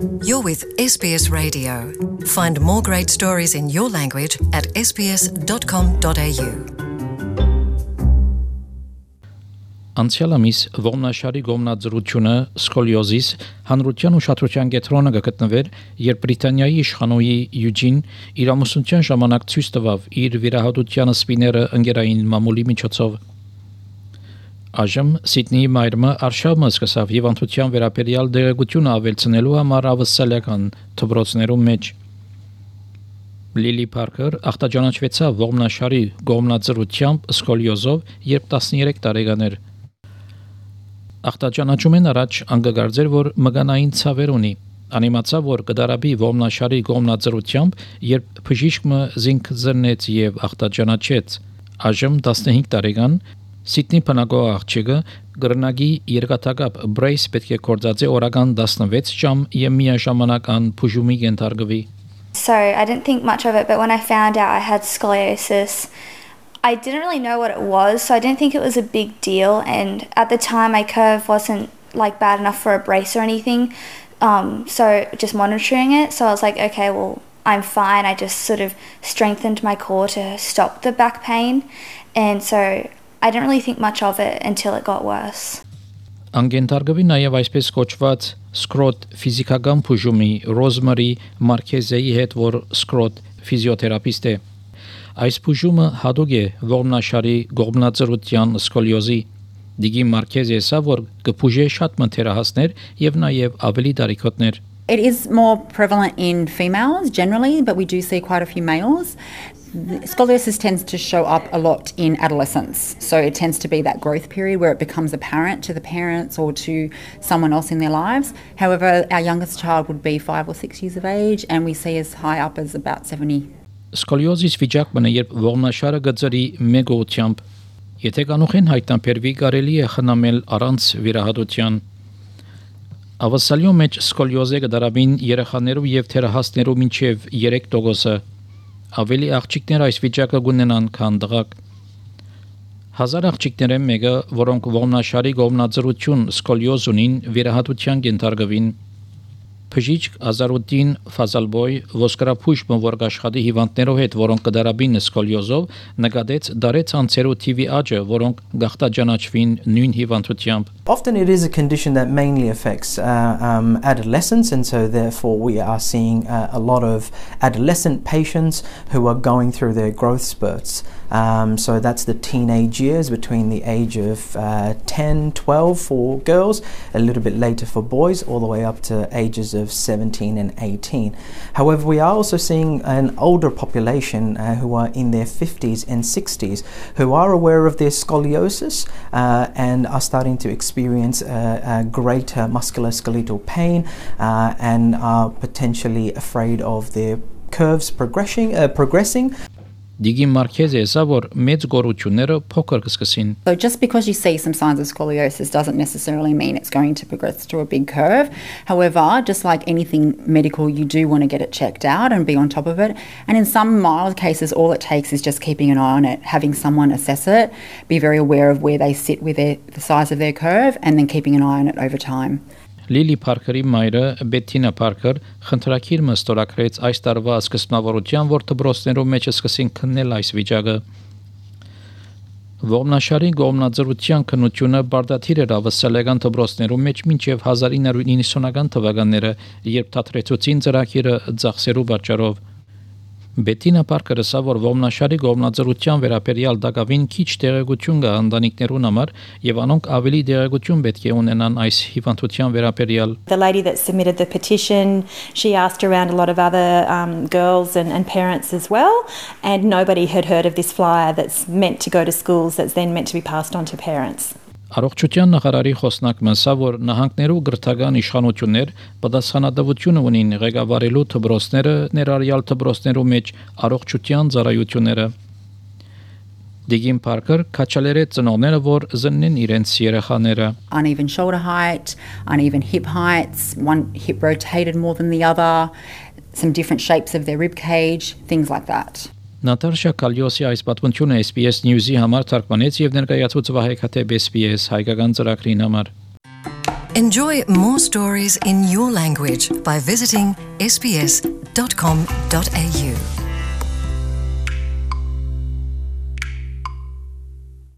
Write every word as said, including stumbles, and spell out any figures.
You're with S B S Radio. Find more great stories in your language at s b s dot com dot a u. Անցյալ ամիս ողնաշարի գոմնաձրությունը սկոլիոզիս հանրության ուշադրության կենտրոնում գտնվեր, երբ Բրիտանիայի իշխանուհի Յուջին իր ամուսնության ժամանակ ցույց տվավ իր վիրահատության սպիները ընկերային մամուլի միջոցով։ Այժմ Սիդնեի մայրը արշավը սկսավ հիվանդության վերաբերյալ դերակցությունը ավելցնելու համար ավսալական դպրոցներում մեջ։ Լիլի Փարքեր ախտաճանաչվեցավ ողնաշարի գոմնաձրությամբ սկոլիոզով, երբ տասներեք տարեկան էր։ Ախտաճանաչումեն առաջ անգագարձեր, որ մգանային ցավեր ունի։ Անիմացավ, որ կդարաբի ողնաշարի գոմնաձրությամբ, երբ բժիշկը զինք զրնեց եւ ախտաճանաչեց։ Այժմ տասնհինգ տարեկան Սիդնի բնակող աղջիկը գրնագի երկաթագապ բրեյս պետք է կորցածի օրական տասնվեց ժամ եւ միաժամանակ ան բուժումի կենթարկվի։ So I didn't think much of it, but when I found out I had scoliosis, I didn't really know what it was, so I didn't think it was a big deal. And at the time, my curve wasn't like bad enough for a brace or anything, um, so just monitoring it. So I was like, okay, well, I'm fine. I just sort of strengthened my core to stop the back pain, and so I didn't really think much of it until it got worse. Անգենթարկվի նաև այսպես կոչված սկրոտ ֆիզիկական բուժումի Ռոզմարի Մարկեզեի հետ, որ սկրոտ ֆիզիոթերապիստ է։ Այս բուժումը հատուկ է ողնաշարի գոմնաձրության սկոլիոզի։ Դիգի Մարկեզը ասա, որ կբուժի շատ մթերահասներ եւ նաև ավելի դարիքոտներ։ It is more prevalent in females generally, but we do see quite a few males. Scoliosis tends to show up a lot in adolescence. So it tends to be that growth period where it becomes apparent to the parents or to someone else in their lives. However, our youngest child would be five or six years of age, and we see as high up as about seventy. Սկոլիոզիս վիճակն է, երբ ողնաշարը գծրի մեկ ուղությամբ։ Եթե կանուխեն հայտնաբերվի, կարելի է խնամել առանց վիրահատության։ Ավասալյո մեջ սկոլիոզը կդարաբին երեխաներու եւ թերահասներու մինչեւ երեք տոկոսը։ Ավելի աղջիկներ այս վիճակը կունենան, քան տղաք։ Հազար աղջիկներեն մեկը, որոնք ողնաշարի գոմնաձրություն սկոլիոզ ունին, վիրահատության կենթարկվին։ Բժիշկ Ազարուդին Ֆազալբոյ ոսկրափուշ մորգ աշխատի հիվանդներով հետ, որոնք կդարաբին սկոլիոզով, նկատեց դարեց անցերու T V աճը, որոնք գախտաճանաչվին նույն հիվանդությամբ։ Often it is a condition that mainly affects uh, um, adolescents, and so therefore we are seeing uh, a lot of adolescent patients who are going through their growth spurts. Um, so that's the teenage years between the age of uh, ten, twelve for girls, a little bit later for boys, all the way up to ages of seventeen and eighteen. However, we are also seeing an older population uh, who are in their fifties and sixties who are aware of their scoliosis uh, and are starting to experience uh, a greater musculoskeletal pain uh, and are potentially afraid of their curves progressing. Uh, progressing. Դիգի Մարկեզը ասա, որ մեծ գոռությունները փոքր կսկսին։ So just because you see some signs of scoliosis doesn't necessarily mean it's going to progress to a big curve. However, just like anything medical, you do want to get it checked out and be on top of it. And in some mild cases, all it takes is just keeping an eye on it, having someone assess it, be very aware of where they sit with their, the size of their curve, and then keeping an eye on it over time. Լիլի Փարքերի մայրը Բեթինա Փարքեր խնդրակիր մստորակրեց այս տարվա սկզբնավորության, որ դպրոցներում մեջ սկսին քննել այս վիճակը։ Ողնաշարի գոմնաձրության քննությունը բարդաթիր էր ավսալական դպրոցներում մեջ մինչև հազար ինը հարյուր նվնասունական թվականները, երբ թատրեցուցին ծրագիրը ծախսերու պատճառով։ Բետինա Պարկերը ասա, որ ողնաշարի գոմնաձրության վերաբերյալ դակավին քիչ տեղեկություն կա ընտանիքներուն համար եւ անոնք ավելի տեղեկություն պետք է ունենան այս հիվանդության վերաբերյալ։ The lady that submitted the petition, she asked around a lot of other um, girls and, and parents as well, and nobody had heard of this flyer that's meant to go to schools, that's then meant to be passed on to parents. Առողջության նախարարի խոսնակը ասա, որ նահանգներու գրթական իշխանություններ պատասխանատվություն ունին ղեկավարելու դպրոցները, ներառյալ դպրոցներու մեջ առողջության ծառայությունները։ Դիգին Փարքեր քաչալերեց ծնողները, որ զննեն իրենց երեխաները։ Uneven shoulder height, uneven hip heights, one hip rotated more than the other, some different shapes of their rib cage, things like that. Նատարշա Կալյոսի այս պատմությունը S B S News-ի համար թարգմանեց եւ ներկայացուց Վահե Քաթեբ S B S հայկական ծրագրին համար։ Enjoy more stories in your language by visiting s b s dot com dot a u.